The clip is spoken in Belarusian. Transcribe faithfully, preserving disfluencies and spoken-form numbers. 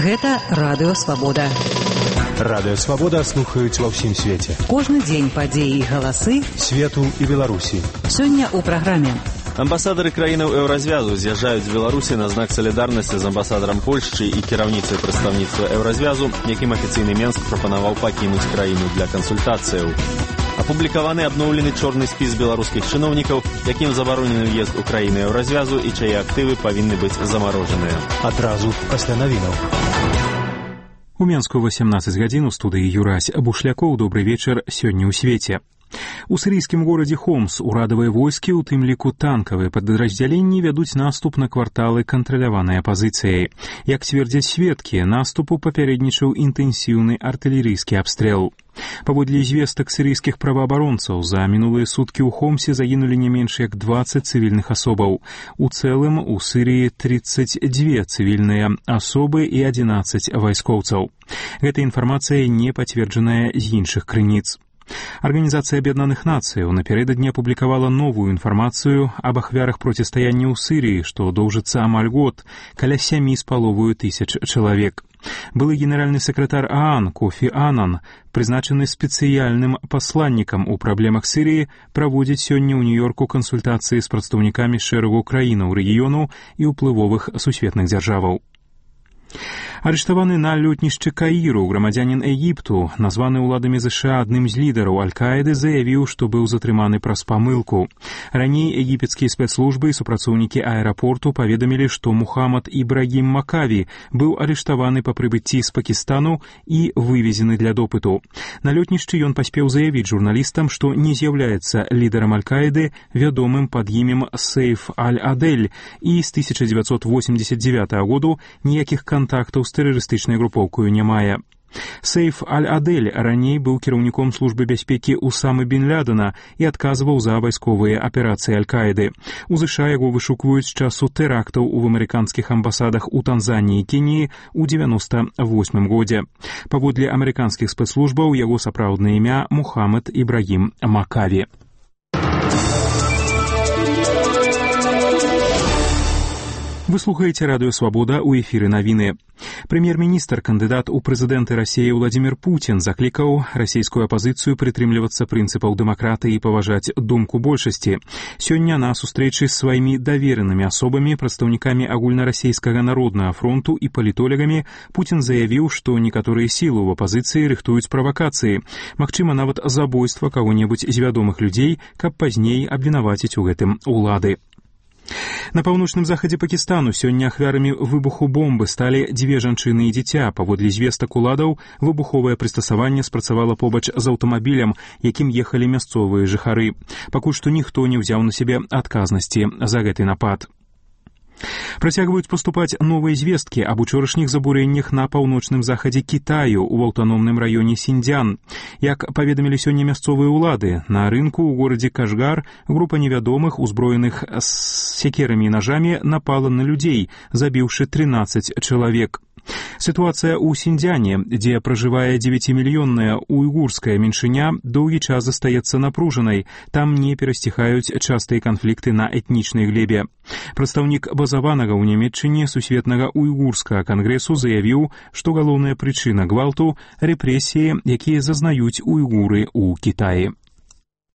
Гэта Радыё Свабода. Радыё Свабода слухаюць ва ўсім свеце. Кожны дзень падзеі і галасы свету і Беларусі. Сёння ў праграме. Амбасадары краінаў Еўразвязу з'язджаюць з Беларусі на знак салідарнасці з амбасадарам Польшчы і кіраўніцай прадстаўніцтва Еўразвязу, якім афіцыйны Менск прапанаваў пакінуць краіну для кансультацыяў. Апублікаваны абноўлены чорны спіс беларускіх чыноўнікаў, якім забаронены ўезд у краіны Еўразвязу і чые актывы павінны быць замарожаныя. Адразу пасля навінаў. У Менску восемнадцать гадзін у студыі Юрась Бушлякоў. Добрый вечар сёння ў свеце. У сірійскім горадзе Хомс урадавыя войскі, у тым ліку танкавыя падраздзяленні, вядуць наступ на кварталы, кантраляваныя апазіцыяй. Як цвердзяць сведкі, наступу папярэднічаў інтэнсіўны артылерыйскі абстрэл. Паводле звестак сірійскіх праваабаронцаў, за мінулыя суткі ў Хомсе загінулі не менш як двадцать цывільных асобаў. У цэлым у Сірыі тридцать две цывільныя асобы і адзінаццаць вайскоўцаў. Гэта інфармацыя не пацверджаная з іншых крыніц. Арганізацыя Аб'яднаных Нацыяў напярэдадні апублікавала новую інфармацыю аб ахвярах процістаяння ў Сірыі, што доўжыцца амаль год, каля сямі з паловаю тысяч чалавек. Былы генеральны сакратар ААН Кофі Анан, прызначаны спецыяльным пасланнікам у праблемах Сірыі, праводзіць сёння ў Нью-Йорку кансультацыі з прадстаўнікамі шэрагу краінаў рэгіёну і ўплывовых сусветных дзяржаваў. Арыштаваны на лётнішчы Каіру грамадзянін Егіпту, названы ўладамі ЗША адным з лідараў Аль-Каіды, заявіў, што быў затрыманы праз памылку. Раней егіпецкія спецслужбы і супрацоўнікі аэрапорту паведамілі, што Мухаммад Ібрагім Макаві быў арыштаваны па прыбыцці з Пакістану і вывезены для допыту. На лётнішчы ён паспеў заявіць журналістам, што не з'яўляецца лідарам Аль-Каіды, вядомым пад імем Сейф Аль-Адель, і з тысяча дзевяцьсот восемьдесят девятого году ніякіх кантактаў з тэрарыстычнай групоўкаю не мае. Сейф Аль-Адель раней быў кіраўніком службы бяспекі Усамы бін Лядена і адказваў за вайсковыя аперацыі Аль-Каіды. У ЗША яго вышукваюць з часу тэрактаў у амерыканскіх амбасадах у Танзаніі і Кеніі ў девяносто восьмым годзе. Паводле амерыканскіх спецслужбаў яго сапраўднае імя Мухаммад Ібрагім Макаві. Вы слухаеце Радыё Свабода, у эфіры навіны. Прэм'ер-міністр, кандыдат у прэзідэнты Расіі Владзімір Пуцін заклікаў расійскую апазіцыю прытрымлівацца прынцыпаў дэмакратыі і паважаць думку большасці. Сёння на сустрэчы з сваімі даверанымі асобамі, прадстаўнікамі агульнарасійскага народнага фронту і палітолягамі, Пуцін заявіў, што некаторыя сілы ў апазіцыі рыхтуюць правакацыі, магчыма, нават забойства каго-небудзь з вядомых людзей, каб пазней абвінаваціць у гэтым улады. На паўночным захадзе Пакістану сёння ахвярамі выбуху бомбы сталі дзве жанчыны і дзіця. Паводле звестак уладаў, выбуховае прыстасаванне спрацавала побач з аўтамабілем, якім ехалі мясцовыя жыхары. Пакуль што ніхто не ўзяў на сябе адказнасці за гэты напад. Працягваюць паступаць новыя звесткі аб учорашніх забурэннях на паўночным захадзе Кітаю ў аўтаномным раёне Сіньцзян. Як паведамілі сёння мясцовыя ўлады, на рынку ў горадзе Кашгар група невядомых, узброеных з секерамі і нажамі, напала на людзей, забіўшы трынаццаць чалавек. Сітуацыя ў Сіньцзяне, дзе пражывае дзевяцімільённая уйгурская меншыня, доўгі час застаецца напружанай. Там не перасціхаюць частыя канфлікты на этнічнай глебе. Прадстаўнік базаванага ў Нямецчыне сусветнага уйгурскага кангрэсу заявіў, што галоўная прычына гвалту — рэпрэсіі, якія зазнаюць уйгуры ў Кітаі.